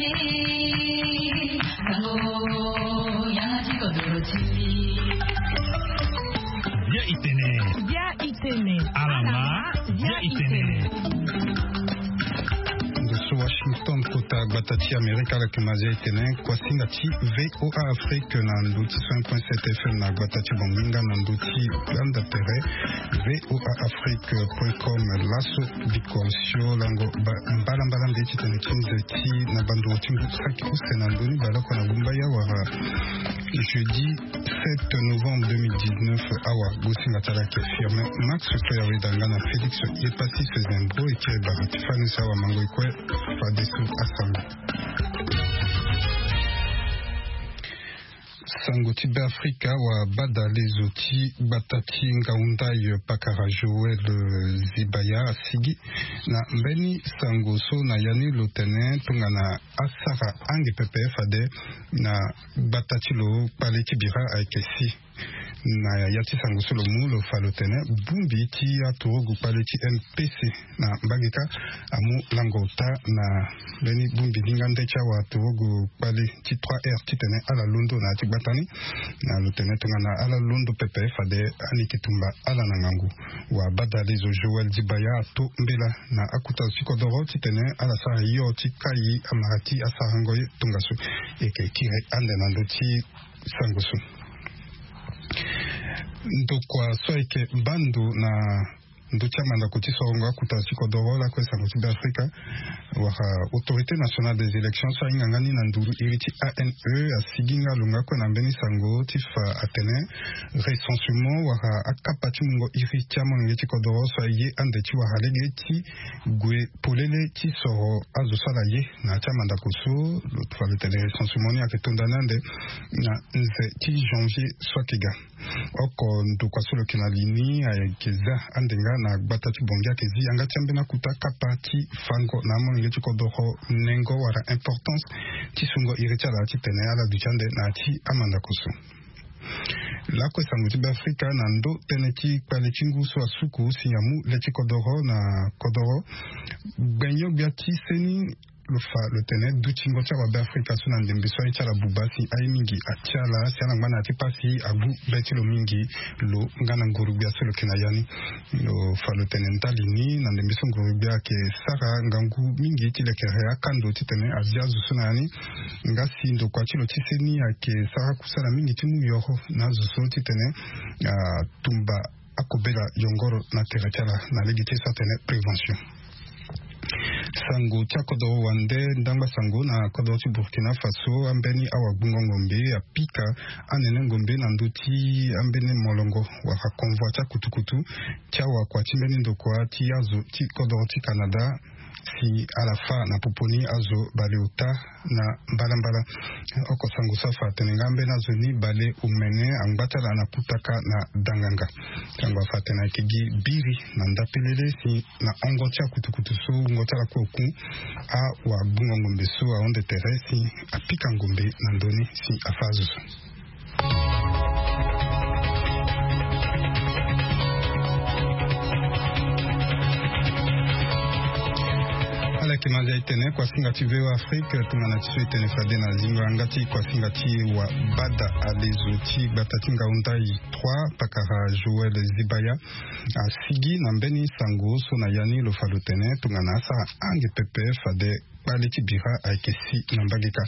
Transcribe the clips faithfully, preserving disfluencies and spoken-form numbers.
Bia itene. Bia itene. Alama. Bia itene. Ndo so Washington, kota gbata ti Amerika, ala yeke ma zia itene. Kuasinga ti VOA Afrique na ndo ti cent point sept FM na gbata ti Banginga na ndo ti Uganda tere. VOA Afrique point com, laso bikosio lango ba-, mbalambala nde titene ti nze ti na bandungo ti ngu saki use na ndoni baloko na gumba ya wara jeudi sept novembre deux mille dix-neuf. Awa gosinga ti ala yeke Firmin Max Claire Wedanga na Félix Yepassis Zembro eke bara ti fani so awa mango ekue fadeso asango. Sango ti Beafrika, wa badalezo ti gbata ti Ngaoundai, pakara Joël, eh, Zibaya asigi na mbeni sango so na ya ni lo tene tongana asara ange pepe fade na gbata ti lo kpale ti bira ayeke si. Na ya ti sango so lo mu lo fa lo tene bongbi ti aturugu kpale ti M P C na mbage kâ amu lango ota na mbeni bongbi linga nde ti awa aturugu kpale ti trois R titene ala londo na ya ti gbata ni. Na lo tene tongana ala londo pepe fade ani yeke tumba ala na ngangu. Wa badalezo Joël Dibaya ato mbela na akuta ti kodoro titene ala sara hio ti kai amara ti asarango ye tongaso. E yeke kiri ande na ndö ti sango so. Ndokua so ayeke bando na ndö ti amandako ti sorongo akuta ti kodoro lakue sango ti Beafrika, wala Autorité Nationale des Élections so ahinga nga ni na nduru iri ti A N E asigi nga lo nga kue na mbeni sango ti fa atene recensement wala akapa ti mungo iri ti amolenge ti kodoro so aye ande ti wara lege ti gue polele ti soro azo so ala ye na ya ti amandako so. Lo fa lo tene recensement ni ayeke to nda ni ande na nze ti janvier so ayeke ga. Oko ndokua so lo yeke na li ni ayeke za ande nga na gbata ti Bangui ayeke zi yanga ti ambeni akuta kapa ti fango na amolenge ti kodoro nengo wala importance ti sungo iri ti ala titene ala duti ande na ya ti amandako so. Lakue sango ti Beafrika na ndö tënë ti kpale ti ngu so asuku si amu le ti kodoro na kodoro. Gbenyo-gbia ti seni lo fa lo tene dutingo ti awabe Afrika so na ndembe so aye ti ala buba si aye mingi atia ala si ala ngba na ya ti pasi agbu be ti lo mingi. Lo nga na nguru-gbia so lo yeke na ya ni. Lo fa lo tene ndali ni na ndembe so nguru-gbia ayeke sara ngangu mingi ti lekere akando titene azia azo so na ya ni. Nga si ndokua ti lo ti seni ayeke sara kusala mingi ti mu yoro na azo so titene atumba akobela yongoro na tere ti ala na lege ti so atene prévention. Sango ti akodoro wande ndangba sango na kodoro ti Burkina Faso, ambeni awagbungo ngombe apika anene ngombe na ndö ti ambeni molongo wala convoi ti akutukutu ti awakua ti mbeni ndokua ti azo ti kodoro ti Canada si ala fâ na popo ni azo baleota na mbalambala. Oko sango so afa atene nga ambeni azo ni baleomene angba ti ala na kutaka na danganga. Sango afa atene ayeke gi biri na ndapelele si na hongo ti akutukutu so wungo ti ala kue oku. Awagbungo ngombe so ahunde tere si apika ngombe na ndö ni si afâ azo so. Ala yeke ma zia e tene kuasinga ti VOA Afrique tongana ti so e tene fade na zingo yanga ti kuasinga ti wa bada alezo ti gbata ti Ngaoundai trois pakara Joël Zibaya asigi na mbeni sango so na ya ni lo fa lo tene tongana asara ange pepe fade kpale ti bira ayeke si na mbage kâ.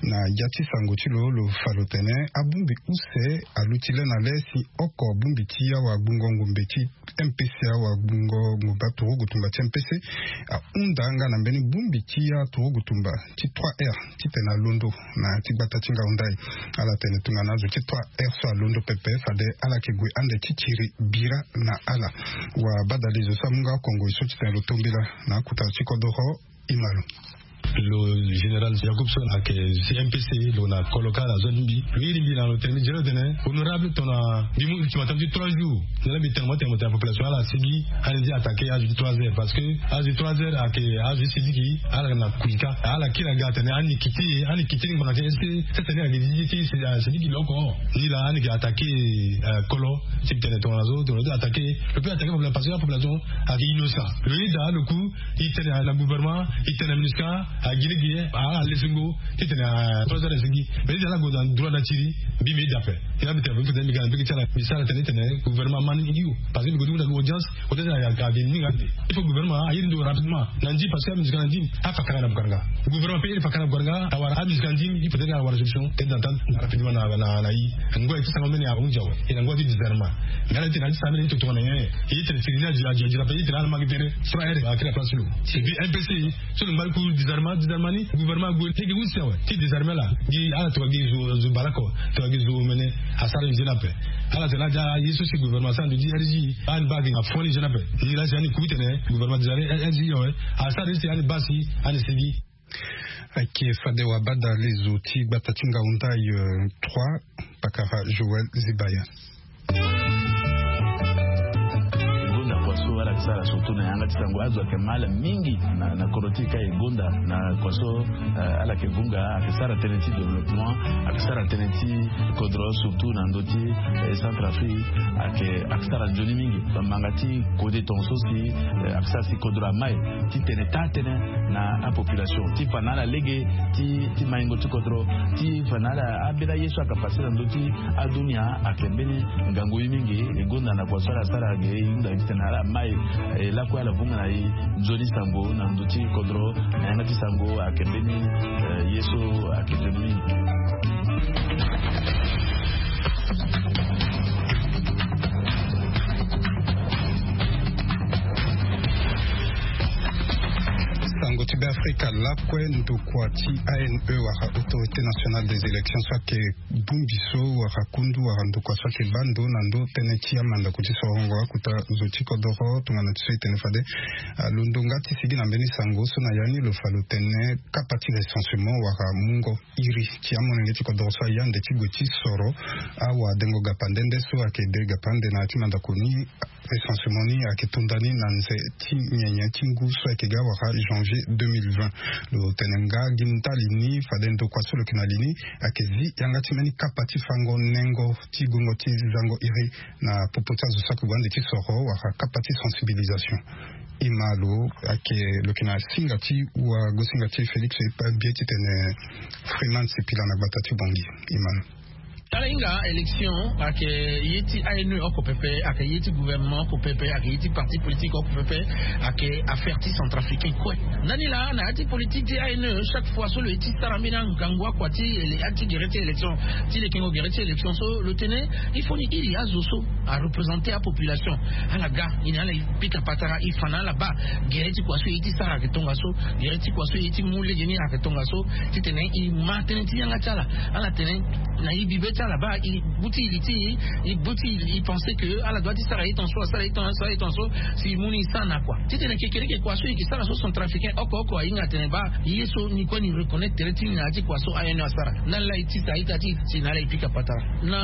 Na ya ti sango ti lo lo fa lo tene abongbi use aluti le na le si oko bongbi ti awagbungo ngombe ti M P C awagbungo ngombe aturugu tumba ti M P C ahunda nga na mbeni bongbi ti aturugu tumba ti trois R titene alondo na ya ti gbata ti Ngaoundai. Ala tene tongana azo ti trois R so alondo pepe fade ala yeke gue ande ti tiri bira na ala. Wa badalezo so amu nga kongoi so titene lo tombela na akuta ti kodoro. Imalo. Lo général Yacoub so ayeke si M P C lo na kolo kâ na zo ti mbi lo iri mbi na lo tene mbi zia lo tene honorable tongana mbi mu ultimatum ti trois jours. Nzena mbi tene mo tene mo tene population ala sigi ani zi attaqué azo ti trois heures parce que azo ti trois heures ayeke azo ti sidiki ala na kui kâ ala kiri aga atene ani kiti ye ani kiti ni ngbanga ti est ce que sese ni ayeke zi ti sidiki lo oko. Ni laa ani yeke attaqué kolo ti mbi tene tongana zo tongana zo attaqué lo peut attaqué population parce que apopulation ayeke innocent lo yeda lo ku. E tene na gouvernement e tene na MINUSCA. Agiligi ala lesingo ti tene a trois heures esingi. Mais ti ala gue na droit na tiri. Mbi mbi dape ina mbi tene mbi tene mbi tene mbi sara tene ti tene gouvernement amani ngi yu. Parce que mbi gue ti mu na audience. Audience ayaka abi ni nga ande. Il faut gouvernement aye ndo rapidement na ndim parce que amusika na ndim afa kanga na bukaranga. Gouvernement pe il fa kanga na bukaranga awara amusika na ndim. Il faut tene awara solution et d'entente rapidement na na na yi. Ngoi ti sanga mene ahunzi awe. Ina ngoi ti disarma. Ngana ti na ti sanga mene ni totongana nyen. Ye tene sigi ni adi adi adi na pe ye tene ala mangi tere. Sura ere akira place lo. Et puis M P C. So lo mbali ku disarma disarma ni gouvernement ague teke usi awe ti disarma la. Gi ala tokua gi zo zo balako. Tokua gi zo mene. Asara nzena pe ala tena adia ye so si gouvernement asara ndo di R G. Ani bagi afoni nzena pe ni la si ani ku tene gouvernement disarma R G awe. Asara si ani basi ani sigi. Ayeke fade wabada lezo ti gbata ti ngaundai trois. Pakara Joël Zibaya. Gonda kua so ala ke sara surtout na yanga ti sango azo ayeke mal mingi na na kodro ti e ka e gonda na kua so. Ala ke vunga ayeke sara tënë ti développement ayeke sara tënë ti kodro surtout na ndö ti centre afrique. Ayeke ayeke sara nzoni mingi bamanga ti kode tonga so si ayeke sara si kodro amai ti tene taa tënë na apopulation ti fa na ala lege ti ti maingo ti kodro ti fa na ala ambela ye so ayeke pase na ndö ti adunia. Ayeke mbeni ngangu ye mingi e gonda na kua so ala sara ge e hunda ye ti tene ala mai e lakue ala vunga na e nzoni sango na ndö ti kodro na yanga ti sango ayeke mbeni ye so ayeke nzoni mingi. Sango ti be afrika lakue ndokua ti ane wala autorité nationale des élections so ayeke bongbi so wala kundu wala ndokua so ayeke baa ndo na ndo tënë ti amandako ti sorongo akuta zo ti kodoro tongana ti so e tene fade. Alondo nga ti sigi na mbeni sango so na ya ni lo fa lo tene kapa ti recensement wala mungo iri ti amolenge ti kodoro so aya nde ti gue ti soro awadengo gapa nde nde so ayeke de gapa nde na ya ti mandako ni. Recensement ni ayeke tonda ni na nze ti nyenye ti ngu so ayeke ga wala janvier deux mille vingt. Lo tene nga gi ndali ni fade ndokua so lo yeke na li ni ayeke zi yanga ti mbeni kapa ti fango nengo ti gongo ti zango iri na popo ti azo so ayeke gue ande ti soro wala kapa ti sensibilisation. E ma lo ayeke lo yeke na singa ti wagosinga ti félix epa bie titene freeman sipila na gbata ti bongi. E ma lo. Tala hinga élection ayeke ye ti ane oko pepe ayeke ye ti gouvernement oko pepe ayeke ye ti parti politique oko pepe. Ayeke affaire ti centrafricain kue. Ndani laa na ya ti politique ti ane chaque fois so lo ye ti sara mbeni angangu akua ti ele ya ti gere ti élection ti lekengo gere ti élection so lo tene il faut ni iri azo so areprésenter apopulation. Ala ga ni na ala e pika patara e fa na ala baa gere ti kua so e ye ti sara ayeke tongaso. Gere ti kua so e ye ti mu lege ni ayeke tongaso. Titene e ma tënë ti yanga ti ala ala tene na e bibe ti ala baa e buti e li ti e e buti e pense que ala doit ti sara ye tongaso asara ye tongaso asara ye tongaso. Si e mu ni e sara na kua titene kekereke kua so e yeke sara so centrafricain oko oko ahinga atene baa ye so ni kue ni reconnaître tere ti ni na ya ti kua so ane asara. Ndani laa e tisa ita ti e si na ala e pika patara na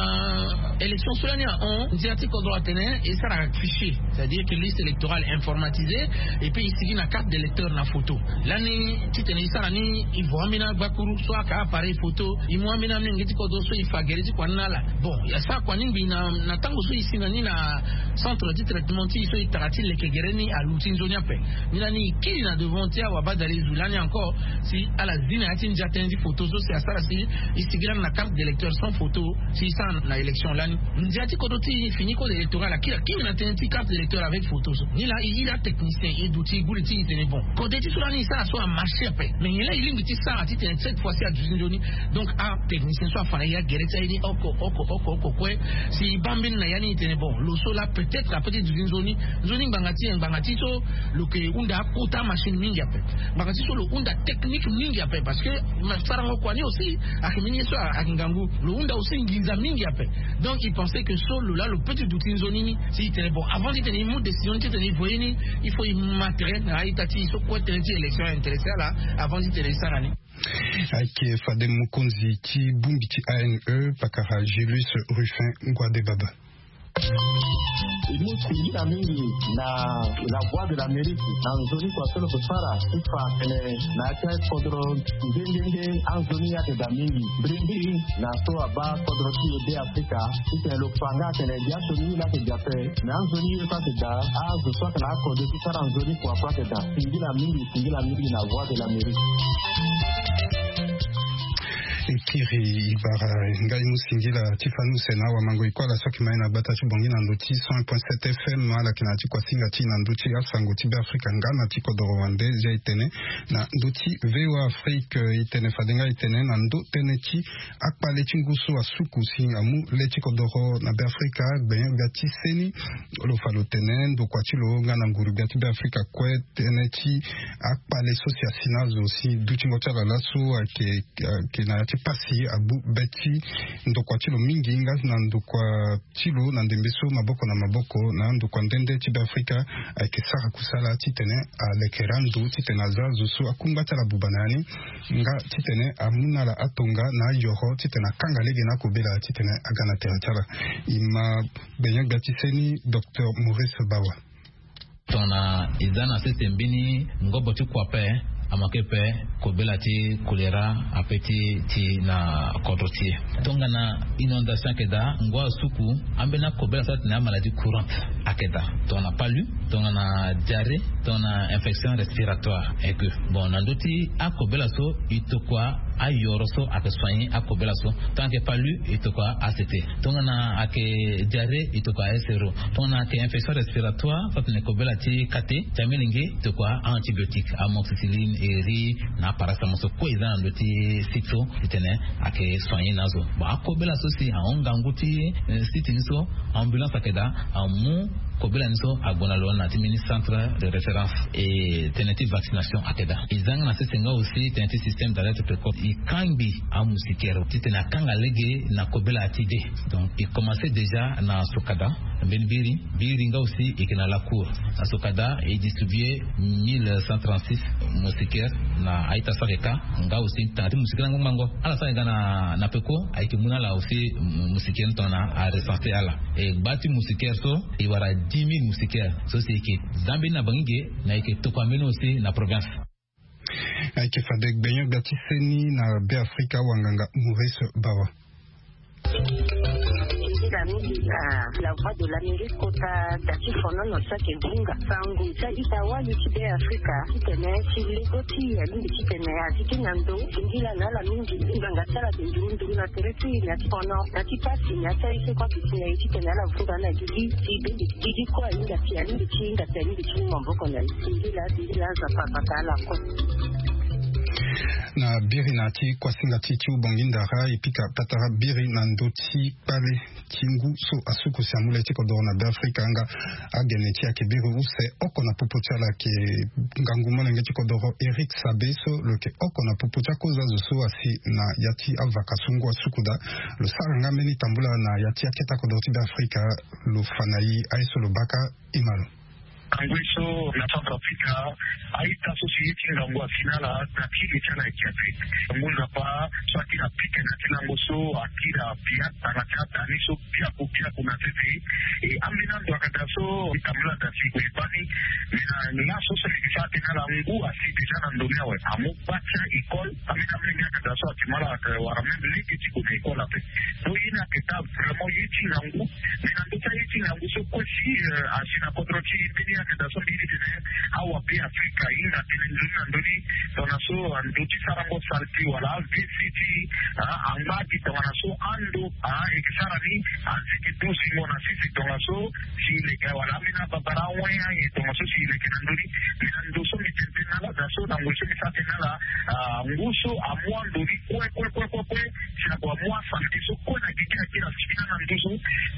élection so lani ahon ndia ti kodro atene e sara fichier c'est à dire que liste électorale informatisée. Et puis e sigi na carte d'électeur na photo lani titene e sara ni e vo ambeni agbakuru so aka appareil photo e mu ambeni amenge ti kodro so e fa gere ti kua ni na ala. Bon e sara kua ni ngbii na na tango so e si na ni na centre ti traitement ti e so e tara ti leke gere ni aluti nzoni ape. Ni lani e kiri na devant ti awabadale e zu lani encore si ala zi na ya ti ndia tënë ti photo so si asara si e sigi lani na carte d'électeur sans photo. Si e sara na élection lani ndia ti kodro ti e fini code électoral akiri akiri na tënë ti carte d'électeur avec photo so ni laa e iri atechnicien e duti e guli ti e tene bon kode ti so lani e sara so amarché ape. Mais nyen laa e lingbi ti sara titene cette fois ci aduti nzoni. Donc atechnicien so afa na e agere ti aye ni oko oko oko oko kue. Si e baa mbeni na ya ni e tene bon lo so laa peut-être ape ti duti nzoni. Nzoni ngbanga ti nyen ngbanga ti so lo yeke hunda akota machine mingi ape. Ngbanga ti so lo hunda technique mingi ape parce que sarango kua ni aussi ayeke mbeni ye so ayeke ngangu. Lo hunda aussi nginza mingi ape. Donc e pense que so lo laa lo peut ti duti nzoni ni si e tene bon avant ti tene e mu décision ni ti tene e voye ni il faut e ma tere na a-ita ti e so kue tënë ti élection aintéressé ala avant ti tene e sara ni. Ayeke fade mokonzi ti bongbi ti ane pakara julius ruffin ngua de baba. E mu singila mingi na la voix de l'amérique na nzoni kua so lo ke sara ti fa tene na ya ti akodro nde nde nde anzoni ye ake daa mingi mbirimbiri na so abaa kodro ti e be afrika. Titene lo fa nga atene dia so ni ni la ake dia pe me anzoni ye so ake daa azo so ake na akode ti sara nzoni kua so ake daa singila mingi singila mingi na voix de l'amérique. Ekiri ibara ngai mu singila ti fani use na awamango ikuala so ake mai na gbata ti bongi na ndö ti cent point sept fm ala yeke na ya ti kuasinga ti e na ndö ti asango ti be afrika nga na ti kodoro wande zia e tene na ndö ti voa afrique e tene fade nga e tene na ndö tënë ti akpale ti ngu so asuku si amu le ti kodoro na be afrika gbenyo gbia ti seni. Lo fa lo tene ndokua ti lo nga na nguru gbia ti be afrika kue tënë ti akpale so si asi na azo si dutingo ti ala laso ayeke ayeke na ya ti pasi abu be ti ndokua ti lo mingi nga na ndokua ti lo na ndembe so maboko na maboko na andokua nde nde ti be afrika ayeke sara kusala titene alekere ando titene aza azo so akungba ti ala buba na ya ni nga titene amu na ala atonga na ayoro titene akanga lege na akobela titene aga na tere ti ala. E ma gbenyo gbia ti seni docteur maurice bawa. Tongana e za na sese mbeni ngobo ti kua ape amanke ape kobela ti kolera ape ti ti na kodro ti e. Tongana inondation ayeke daa ngu asuku ambeni akobela so atene amaladie courante ayeke daa tongana palu tongana diarrhée tongana infection respiratoire. Eke bon na ndö ti akobela so e tokua ayoro so ayeke soigner akobela so. Tongana ayeke palu e tokua act tongana ayeke diarrhée e tokua sro. Tongana ayeke infection respiratoire so atene kobela ti kate ti amilenge e tokua antibiotique amoxicilline eri na aparacetamo so kue e za na ndö ti site so titene ayeke soigner na azo. Bon akobela so si ahon ngangu ti site ni so ambulance ayeke daa amu kobela ni so ague na lo na ti mbeni centre de référence. E tënë ti vaccination ayeke daa e za nga na sese nga aussi tënë ti système d'alerte précoce e kangbi amusikere titene akanga lege na kobela ti de. Donc e commence déjà na sokada mbeni biri biri nga aussi e yeke na lacour na sokada e distribue mille cent trente-six moustiquaire na a-ita so ayeke ka nga aussi tanga ti moustiquaire angbango ala so ayeke ga na peko ayeke mu na ala aussi moustiquaire ni tongana arecense ala. E gba ti moustiquaire so e wara dix mille moustiquaire so si e yeke za mbeni na bangi ge na e yeke tokua mbeni aussi na province. Ayeke fade gbenyo gbia ti seni na be afrika wanganga maurice bawa. Nzila mingi na la voix de l'amérique kota da ti fonono so ayeke bunga sango ti a-ita wali ti be afrika titene ti lego ti e alingbi titene azi ti na ndo singila na ala mingi ngbanga ti ala ayeke nduru nduru na tere ti e na ti fono na ti pasi na ya ti aye so kue ayeke si na e titene ala vunga ala gigi ti bende gigi kue ahinga si alingbi ti hinga si alingbi ti mu maboko na e singila singila azo apapata ala kue. Na biri na ya ti kuasinga ti ti ubongi ndara e pika patara biri na ndö ti kpale ti ngu so asuku si amu le ti kodoro na be afrika nga agene ti ayeke biri use oko na popo ti ala ayeke ngangu molenge ti kodoro eric sabe so lo yeke oko na popo ti akozo azo so asi na ya ti avaka so ngu asuku daa. Lo sara nga mbeni tambula na ya ti akete akodoro ti be afrika. Lo fa na e aye so lo baka e ma lo. Angoi so na centre africa a-ita so si ye ti ngangu asi na ala na ti le ti ala ayeke ape. Ngu nzapa so akiri apike na ti lango so akiri apia tanga ti atani so piaku piaku na sese. E ambeni ando ayeke daa so tambula daa si kue e baa ni. Me na laso so ayeke sara atene ala ngu asi déjà na ndo ni awe amu gba ti a-école. Ambeni amolenge ayeke daa so ayeke mu ala ayeke wara même lege ti gue na école ape. Donc ye ni ayeke daa vraiment ye ti ngangu. Mais na ndö ti aye ti ngangu so kue si asi na kodro ti e mbeni ayeke daa so mbeni tene awa be afrika ahinga tënë ndoni na ndoni. Tongana so ando ti sarango salti wala avc ti angba gi tongana so ando ayeke sara ni azi yeke du zingo na sese tongana so si e leke wala ambeni ababara awe aye tongana so si e leke na ndoni. Mais na ndo so mbi tene tënë na ala daa so na ngoi so mbi sara tënë na ala ngu so amu ando ni kue kue kue kue kue. Si ague amu asalite so kue na gigi na kiri asi fini na nduzu.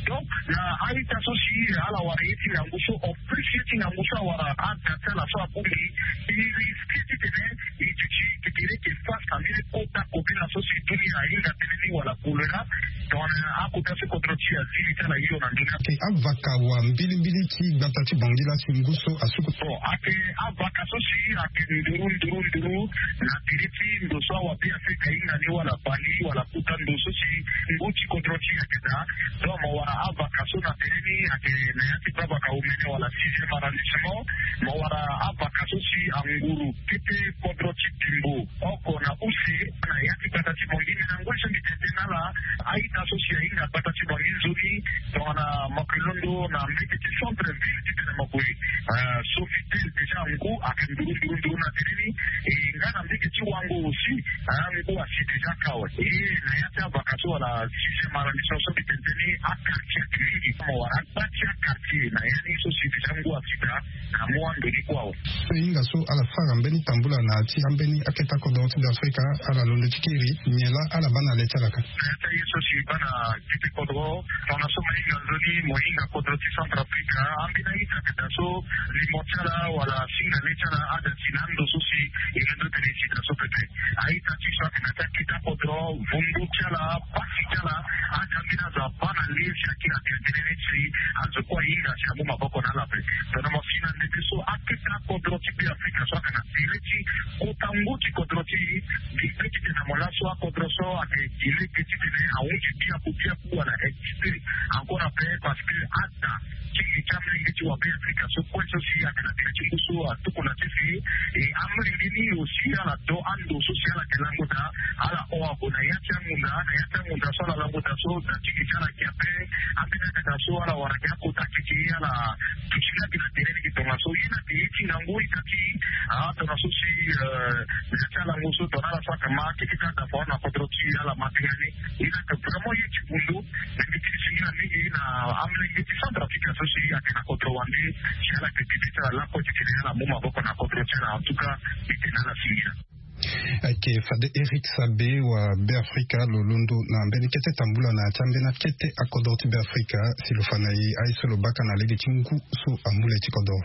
Donc na a-ita so si ala wara ye ti ngangu so en plus ye ti ngangu so awara ada ti ala so abongbi e risque titene e duti titene e yeke face na mbeni kota kobela so si dunia ahinga tënë ni wala kolera. Donc na ako Kasi kodro ti azi ti ala hio na ndoni. Ake avaka wa mbilimbili ti gbata ti Bangui la si ngu so asuku. Bon, ake avaka so si ake nduru nduru nduru na tere ti ndo so awa Beafrika ahinga ni wala Bali wala kota ndo so si ngu ti kodro ti e ake daa. Donc mo wara avaka so na tere ni ake na ya ti baa vaka omene wala sixième arrondissement. Mo wara avaka so si anguru kete kodro ti Bimbo oko na use na ya ti gbata ti Bangui. Me na ngoi so mbi tene tënë na ala, a-ita so si ahinga gbata ti Bangui nzoni tongana mo yeke londo na mbage ti centre ville titene mo gue, eh, Sofitel, déjà ngu ake nduru nduru nduru na tere ni. E nga na mbage ti Wango aussi, ah, ngu asi déjà kâ awe. E na ya ti avaka so wala sixième arrondissement so mbi tene tënë ni, aquartier ake mingi. Mo wara gba ti aquartier na ya ni so si déjà ngu asi daa na mu ando ni kue awe. So e hinga so ala sara mbeni tambula na ya ti ambeni akete akodro ti Beafrika, ala londo ti kiri nyen laa ala baa na le ti ala kâ? Na ya ti aye so si baa na kete kodro, tongana so mo hinga nzoni mo hinga kodro ti Centrafrique, ambeni a-ita ake daa so limo ti ala wala singa le ti ala ada si na ando so si e londo tene e si daa so pepe. A-ita ti so ake na ya ti akete akodro, vundu ti ala, pasi ti ala, ade ambeni azo abaa na le si akiri atene tënë ni si azo kue ahinga si amu maboko na ala ape. Tongana mo si na ndembe so akete akodro ti Beafrika so ake na tere ti kota ngu ti kodro ti e, mbi pe titene mo laso akodro so ake gi lege titene ahunzi biaku biaku wala exprès encore ape, parce que ada ti li ti amolenge ti wa Beafrika so kue so si ake na tere ti ngu so atuku na ti si. E amolenge ni aussi ala do ando so si ala yeke lango daa, ala hon ague na ya ti angunda, na ya ti angunda so ala lango daa so da ti li ti ala gi ape. Ambeni akata so ala wara gi akota keke ala duti laa gi na tere ni gi tongaso ye na ake ye ti ngangu ita ti, ah, tongaso si, eh, na ya ti alango so tongana ala so ake ma keke ka da fao na kodro ti ala ma tenga ni. Ye na ake vraiment ye ti bundu. Mbi tene singila mingi na amolenge ti Centrafrique so si ake na kodro wande si ala yeke duti ti ala lakue titene ala mu maboko na kodro ti ala. En tout cas mbi tene na ala singila. Ayeke fade Eric Sabe wa Beafrika lo londo na mbeni kete tambula na ya ti ambeni akete akodro ti Beafrika si lo fa na e aye so lo baka na lege ti ngu so amu le ti kodro.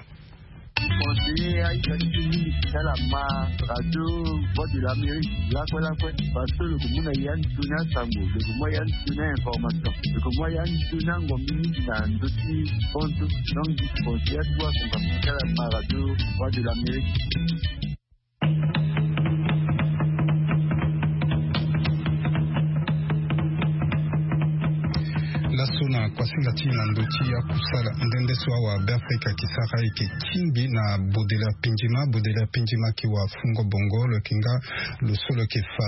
Conseiller aita ti e mingi si ala ma radio Voix de l'Amérique lakue lakue, parce que lo yeke mu na ya ni toni asango, lo yeke mu ya ni toni a-information, lo yeke mu ya ni toni angombe mingi na ndö ti fonds. Donc mbi conseiller atuba asango si ala ma radio Voix de l'Amérique. Laso na kuasinga ti e na ndö ti akusala nde nde so awa Beafrika ayeke sara ayeke tingbi na Baudelaire Pindjima. Baudelaire Pindjima ayeke wa fungo bongo, lo yeke nga lo so lo yeke fa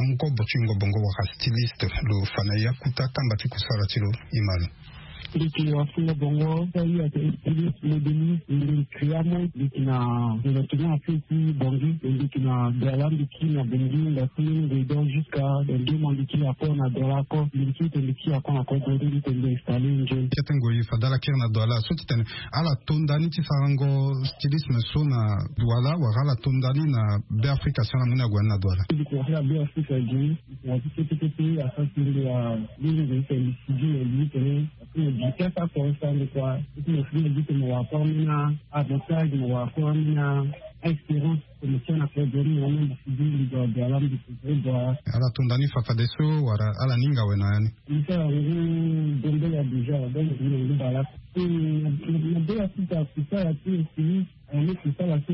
angobo ti wungo bongo wala styliste. Lo fa na e akuta kamba ti kusala ti lo. E ma lo. Mbi yeke wa fungo bongo, so aye ayeke styliste, modéliste, mbi yeke créer amont, mbi yeke na développement afe ti Bangui, mbi yeke na Douala, mbi kiri na Bangui, mbi akiri ngoi donc jusqu'à dans deux mois mbi kiri encore na Douala encore, mbi kiri tene mbi kiri encore na kodro ti mbi tene mbi installer nzoni. Kete ngoi fade ala kiri na Douala so ti tene ala to nda ni ti sarango stylisme so na Douala wala ala to nda ni na Beafrika si ala mu ni ague ni na Douala? Mbi yeke wara Beafrika gi. Na ti kete kete asara ti mbi wa mbeni ngoi tene mbi sigi na mbi tene. Parce que mbi kiri asa kua asa ndokua. Parce que mbi sigi na mbi tene mo wara kua ambeni avantage, mo wara kua ambeni a-expérience. Tene mo tia na kodro ni mo wara mbi sigi mbi doit doit la mbi sigi doit. Ala to nda ni fa fadeso wala ala ni hinga awe na ya ni? Mbi sara ngu Gambela déjà, donc mbi na ngu bale. Na Beafrika kusala ti aussi, eh, mbi kusala so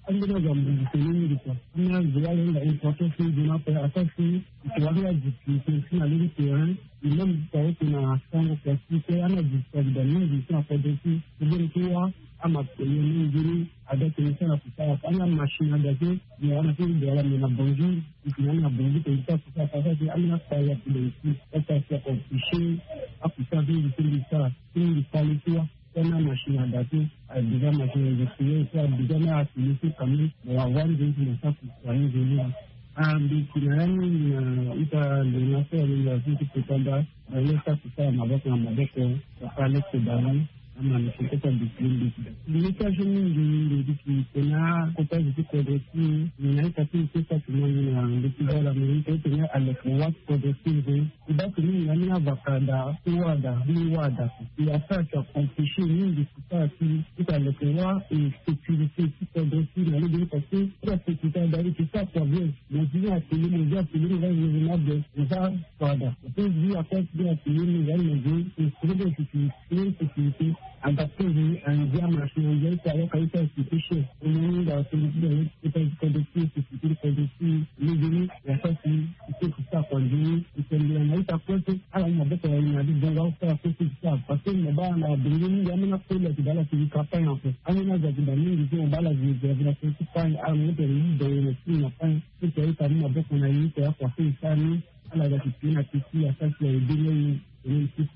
Ambeni azo ambongi tene mingi kua. Ambeni azo wala ahinga importance ti nzoni ape, asara si e yeke wara ni adifficulté aussi na lege ti terrain. E même ti aye tene na sango kua ti e, ambeni adifficulté ayeke daa mingi ti na kodro ti e. Ti mbeni ti wâ, amatériel ni nzoni ada tene ti ala kusala. Ambeni amachine ada ti e, me wara na ti Douala, me na Bangui. E tene na Bangui tene ti ala kusala, asara si ambeni akpale ape daa aussi. Asara si aconfisquer akusala ti mbi ti mbi sara ti mbi kpale ti wâ. Tena machine ada ti, a déjà machine a déjà créé, so a déjà na atelier so quand même, mo wara nzoni ti mo sara kusala ni nzoni la. Ah, mbi yeke na ya ni na ita ndena so alingbi azo ti kota nda, na ye sara kusala maboko na maboko, wala leke bango, ama mbi yeke kota décider mbi yeke da. Mbi yeke azo mingi, mbi yeke tena akota zo ti kodro ti, mbi na ita ti mbi ti sara kusala na mbi yeke voilà, mbi yeke tena Aleke wâ ti kodro ti e. E baa ti mingi na ni avaka daa ti wâ daa ni wâ daa. E asara ti akomplishe mingi ti sara ti ti aleke wâ e sécurité ti kodro ti e na lege ni parce que ti asécurité daa e ti sara kua bien. Mo zi ni atelier mo zi atelier mo za zi na be mo za kua daa. Mo pe zi akua ti be atelier mo za ni mo zi e sere be sécurité. Sécurité. Adapté ni andia machine andia ita yo ka ita institution. Omoni da solution da ita kodro ti sécurité kodro ti lege ni ya sa si ite kusa kondi itembela na ita kote. Ala ni maboko ya ina di bonga usa ya kote kusa parce que mo baa na bongi ni ya mena kola ti bala ti lika pa ya ko. Ani na za ti ba mingi ti mo bala ti ya vila kote pa ya ala mo te ni bongo na ti na pa ya. Kote ya ita ni maboko na ita ya kote isa ni. Ala za ti pina ti ti ya sa si ya ide ni ni ni ti.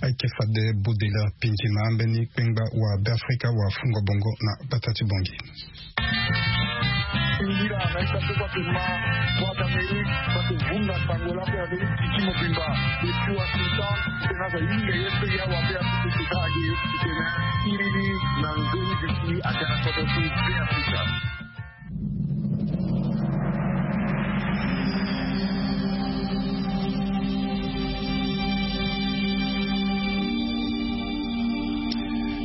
Ayeke fade bodela pindima mbeni kpengba wa Beafrika wa fungo bongo na bata ti bongi. Ngira na ita so kua pema Voix d'Amérique, parce que vunga sango la pe avec titi mobimba depuis Washington. Tena za yinga ye pe ya wa pe ya pe tena age tena iri ni na nzoni bisi atena koto ti Beafrika.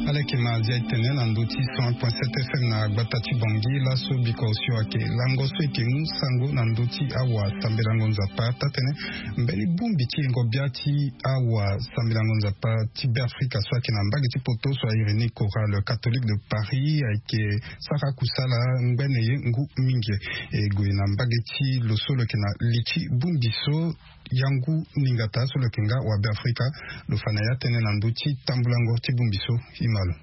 Ala yeke ma azia e tene na ndö ti cent point sept F M na gbata ti Bangui laso biko osio ayeke lango so e yeke mu sango na ndö ti awa sambelango Nzapa taa tene mbeni bongbi ti yengo bia ti awa sambelango Nzapa ti Beafrika so ayeke na mbage ti poto so a iri ni Chorale Catholique de Paris ayeke sara kusala ngbene ye ngu mingi. E gue na mbage ti lo so lo yeke na li ti bongbi so yangu ningata so lo yeke nga wa Beafrika lo fa na ya tënë na ndö ti tambulango ti bongbi so. E ma lo.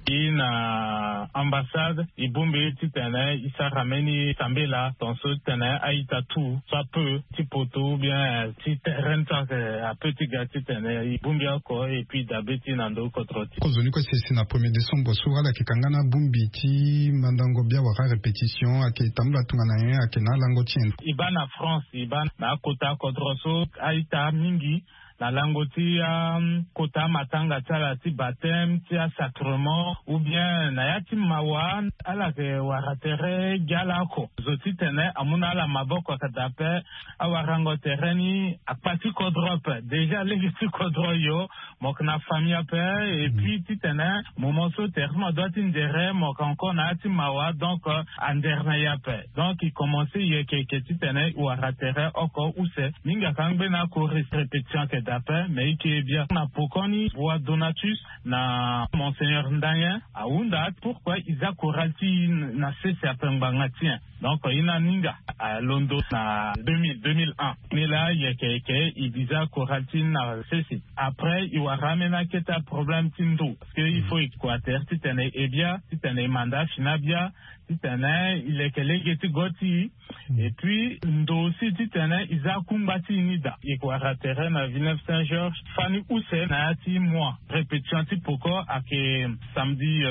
E na ambassade e bongbi titene e sara mbeni sambela tongaso titene a-ita tout so ape ti poto ou bien ti terrain so ayeke ape ti ga titene e bongbi oko et puis dabe ti na ndo kodro ti. Kozoni kue si e si na premier décembre so ala yeke kanga na bongbi ti mandango bia wala répétition ayeke tambula tongana nyen ayeke na alango ti nyen? E baa na France e baa na akota kodro so a-ita mingi na lango ti akota matanga ti ala ti baptême ti asacrement ou bien na ya ti mawa ala yeke wara tere gi ala oko. Zo titene amu na ala maboko ayeke daa ape. Awarango tere ni akpa ti kodro ape déjà lege ti kodro yo. Mo yeke na famille ape. Et puis titene moment so tere ti mo adoit ti nzere mo yeke encore na ya ti mawa donc andere na e ape. Donc e commence yeke yeke titene e wara tere oko use. Mingi ayeke angbe na akore répétition ayeke daa ape mais e yeke bia na poko ni Roi Donatus na Monseigneur Ndanye ahunda pourquoi e za chorale ti e na sese ape ngbanga ti nyen. Donc e na ninga alondo na deux mille, deux mille un. Ni laa yeke yeke e biza chorale ti e na sese. Après e wara ambeni akete aproblème ti ndo parce que il faut e kua tere titene e bia titene e manda afini abia titene e leke lege ti go ti e. Et puis ndo aussi titene e za akungba ti e ni daa. E yeke wara tere na Villeneuve Saint Georges fani use na ya ti mois. Répétition ti poko ayeke samedi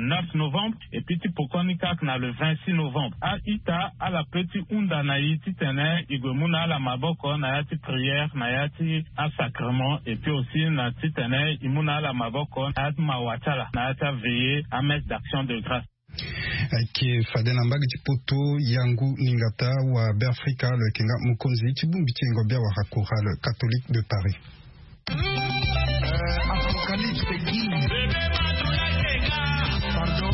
neuf novembre. Et puis ti poko ni kâ ayeke na le vingt-six novembre. A-ita ala pe ti hunda na e titene e gue mu na ala maboko na ya ti prière na ya ti asacrement et puis aussi na titene e mu na ala maboko na ya ti mawa ti ala na ya ti aveillée amesse d'action de grâce. Ayeke fade na mbage ti poto yangu ningata wa Beafrika lo yeke nga mokonzi ti bongbi ti yengo bia wala Chorale Catholique de Paris. Apocalypse King. Pardon?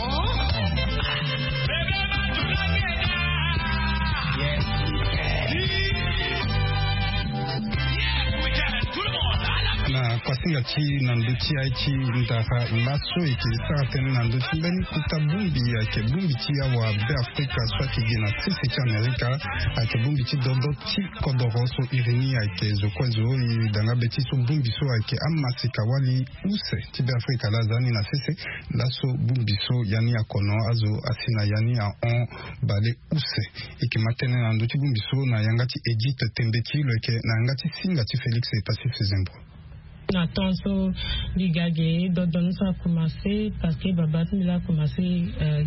Na kuasinga ti na ndö ti aye ti ndara laso e yeke sara tënë na ndö ti mbeni kota bongbi ayeke bongbi ti awa Beafrika so ayeke gi na sese ti Amerika. Ayeke bongbi ti dodo ti kodoro so iri ni ayeke zo kue zo e danga be ti so bongbi so ayeke amaseka wali use ti Beafrika laa aza ni na sese. Laso bongbi so ya ni akono azo asi na ya ni ahon bale use. E yeke ma tënë na ndö ti bongbi so na yanga ti Edith Tembeti lo yeke na yanga ti singa ti Félix Passy Fezembro. Na temps so mbi ga ge dodon so a commencé parce que baba ti mbi laa a commencé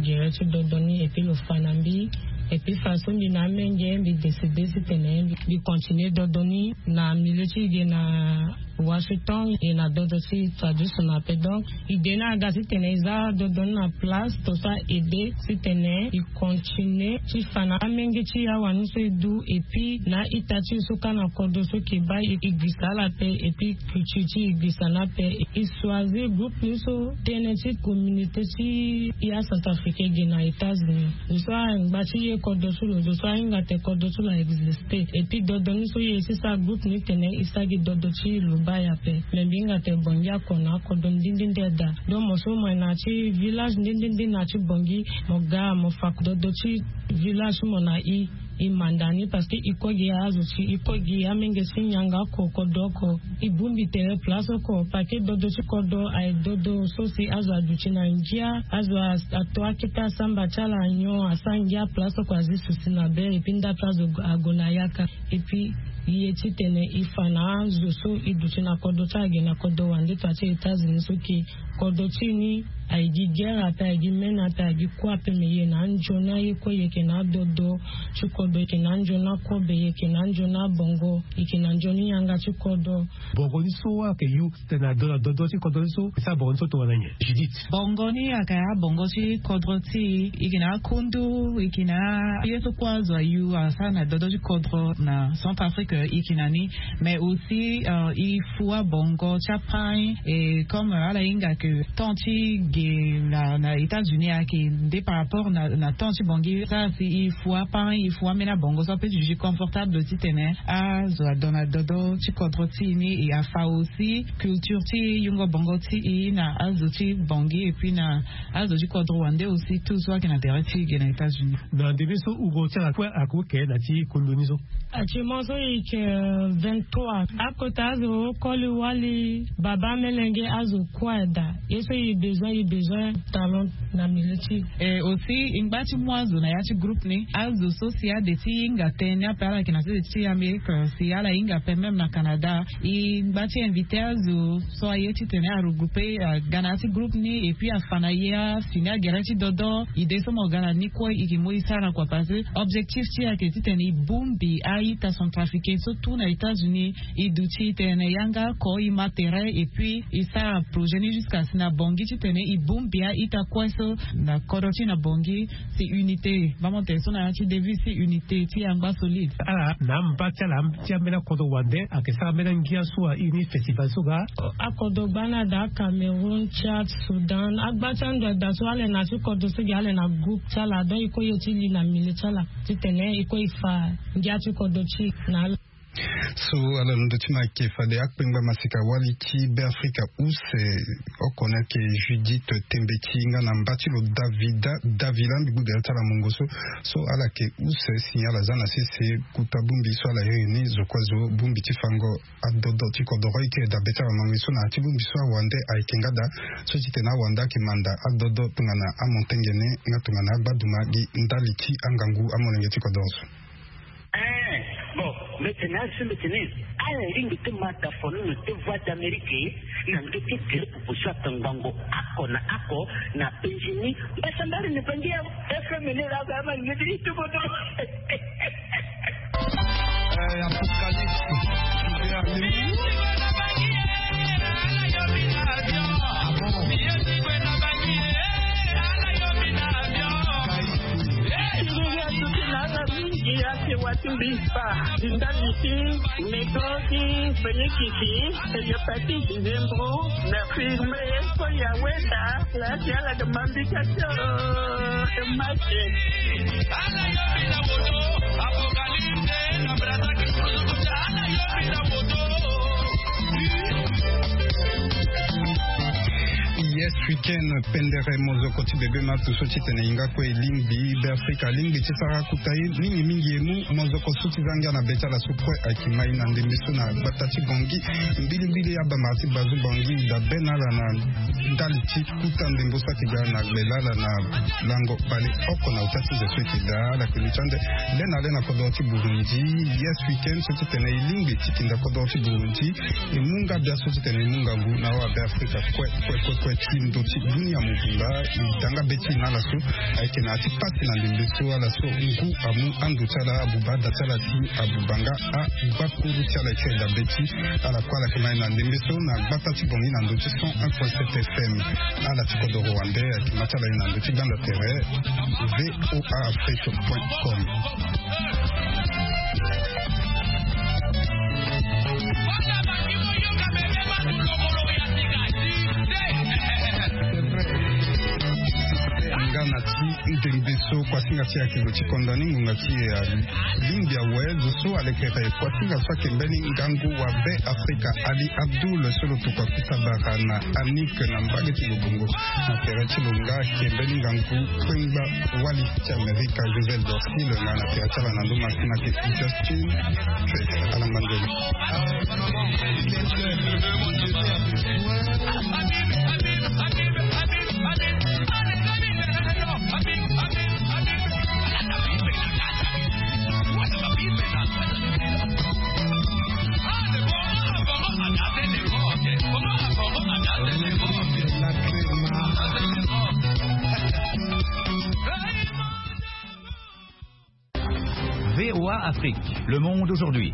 gere ti dodon ni et puis lo fa na mbi. Et puis façon mbi na amenge mbi décide titene mbi continue dodo ni na milieu ti e na Washington et na dodo ti tradition ape. Donc idée ni aga titene e za dodo ni na place to sa aide titene e continue ti fa na amenge ti e awa ni so e du. Et puis na ita ti e so kâ na kodro so e ke baa e gbisa ala ape. Et puis culture ti e gbisa ni ape. E choisir groupe ni so tënë ti communauté ti e acentrafricain e ge na États-Unis. Zo so angba ti e kodro ti lo, zo so ahinga tene kodro ti lo a existe. Et puis dodo ni so e ye ti sara groupe ni tene e sara gi dodo ti lo baa e ape. Mais mbi hinga tene bongi ako na akodro ndindindi daa. Donc mo so mo na ya ti village ndindindi na ya ti bongi, mo ga mo fa dodo ti village ti mo na e. E manda ni parce que e kue gi azo ti e, e kue gi amenge ti nyango oko, kodro oko. E bongbi tere place oko parce que dodo ti kodro aye dodo so si azo aduti na ngia, azo ato akete asamba ti ala nyon, asara ngia, place oko azi susi na be. Et puis nda place azo ague na yaka. Et puis e ye titene e fa na azo so e duti na kodro ti ala ge na kodro wande to ya ti États-Unis so e ke kodro ti e ni aye gi guerre ape, aye gi mene ape, aye gi kue ape, mais e ye na anzoni aye kue, e yeke na adodo ti kodro, e yeke na anzoni akobe, e yeke na anzoni abongo, e yeke na nzoni yanga ti kodro. Bongo ni so ayeke yu titene ado na dodo ti kodro ni so e sara bongo ni so tongana nyen, Judith? Bongo ni ayeke abongo ti kodro ti e, e yeke na akundu, e yeke na ye so kue azo ayu asara na dodo ti kodro na Centrafrique, e yeke na ni. Mais aussi e fu abongo ti apain. Et comme ala hinga ke temps ti ge na États-Unis ayeke nde par rapport na temps ti bongi, sara si e fu apain, e fu ambeni abongo so ape ti duti confortable titene azo adon na dodo ti kodro ti e ni. E afa aussi culture ti yungo bongo ti e na azo ti bongi et puis na azo ti kodro wande aussi, tout so ayeke na tere ti e ge na États-Unis. Na ndembe so uro ti ala kue ayeke oke na ti kundu ni so? Actuellement so e yeke vingt-trois. Akota azo koli wali baba melenge azo kue daa. Ye so e besoin, e besoin talent na milieu ti e. Et aussi e ngba ti mu azo na ya ti groupe ni, azo so si ade ti hinga tënë ni ape, ala yeke na sese ti Amérique, si ala hinga ape même na Canada, e ngba ti invité azo so aye titene aregroupe aga na ya ti groupe ni et puis afa na e afini agere ti dodo. Idée so mo ga na ni kue e yeke mu e sara kua parce que objectif ti e ayeke titene e bongbi a-ita centrafricain so tout na États-Unis. E duti titene yanga oko, e ma tere et puis e sara projet ni jusqu'à si na bongi titene e bongbi a-ita kue so na kodro ti e na bongi. Si unité, bamo tere so na ya ti devise ti unité ti e angba solide. Ala na amba ti ala ti ambeni akodro wande ayeke sara ambeni angia so airi ni festival so ga. Akodro gbani ada, Cameroun, Tchad, Soudan, agba ti ando ada so ala yeke na ya ti kodro so gi ala yeke na groupe ti ala, donc e kue ye ti li na milieu ti ala titene e kue e fa ngia ti kodro ti e na ala. So ala londo ti ma ayeke fade akpengba masika wali ti Beafrika use oko ni ayeke Judith Tembe ti nga na mba ti lo Davida Davila mbi gbu gere ti ala mungo so. So ala yeke use si ala za na sese kuta bongbi so ala iri ni zo kue zo bongbi ti fango adodo ti kodoro. E yeke dabe ti ala mango so na ya ti bongbi so awande ayeke nga daa so titene awande ayeke manda adodo tongana amontengene nga tongana agbaduma gi ndali ti angangu amolenge ti kodoro so. Ee, bon, mbi tene asi mbi tene ala lingbi ti ma dafono na te Voix d'Amérique na ndö ti gere pupu so atongbango ako na ako na penzi ni. Mbasambari ni bangi ya F M ni la ba ma ni ti tubo do. Eh, Apocalypse. Mingi ake wati mbi fa ndali ti mego ti fenyikiki, hépatite, nzembro, na firme, koya weda. Lati ala de mambika tio. Make. Yes, weekend pendere mozoko ti bebe matu so titene e hinga kue e lingbi Beafrika alingbi ti sara akuta ye mingi mingi e mu mozoko so ti za ngia na be ti ala so kue ayeke ma e na ndembe so na gbata ti Bangui. Mbilimbili abamara ti Bazu Bangui dabe na ala na ndali ti kuta ndembo so ayeke ga na gbe lala na lango baleoko na ota ti nze so e yeke daa ala yeke luti ande le na le na kodoro ti Burundi. Yes, weekend so titene e lingbi ti kinda kodoro ti Burundi e mu nga bia so titene e mu ngangu na awa Beafrika kue kue kue kue ti Ndo ti dunia mobimba e da nga be ti e na ala so ayeke na ya ti pasi na ndembe so. Ala so ngu amu ando ti ala abuba ada ti ala si abuba nga agbakuru ti ala ti e da be ti ala kue. Ala yeke ma e na ndembe so na gbata ti bongi na ndo ti cent un point sept F M. Ala ti kodoro wande ayeke ma ti ala e na ndo ti gbanda tere. V O A Afrique point com. Nga na ti ndembe so kuasinga ti e ayeke lo ti konda ni ngonga ti e alingbi awe. Zo so alekere kuasinga so ayeke mbeni ngangu wa Be Afrika Ali Abdul so lo tokua kuta bara na Annick na mbage ti lo bongo. Na tere ti lo nga ayeke mbeni ngangu kpengba wali ti Amerika Joseph Dorsil nga na tere ti ala na ndo masina ayeke Justin Trade. Ala ngbangeli. V O A Afrique, le monde aujourd'hui.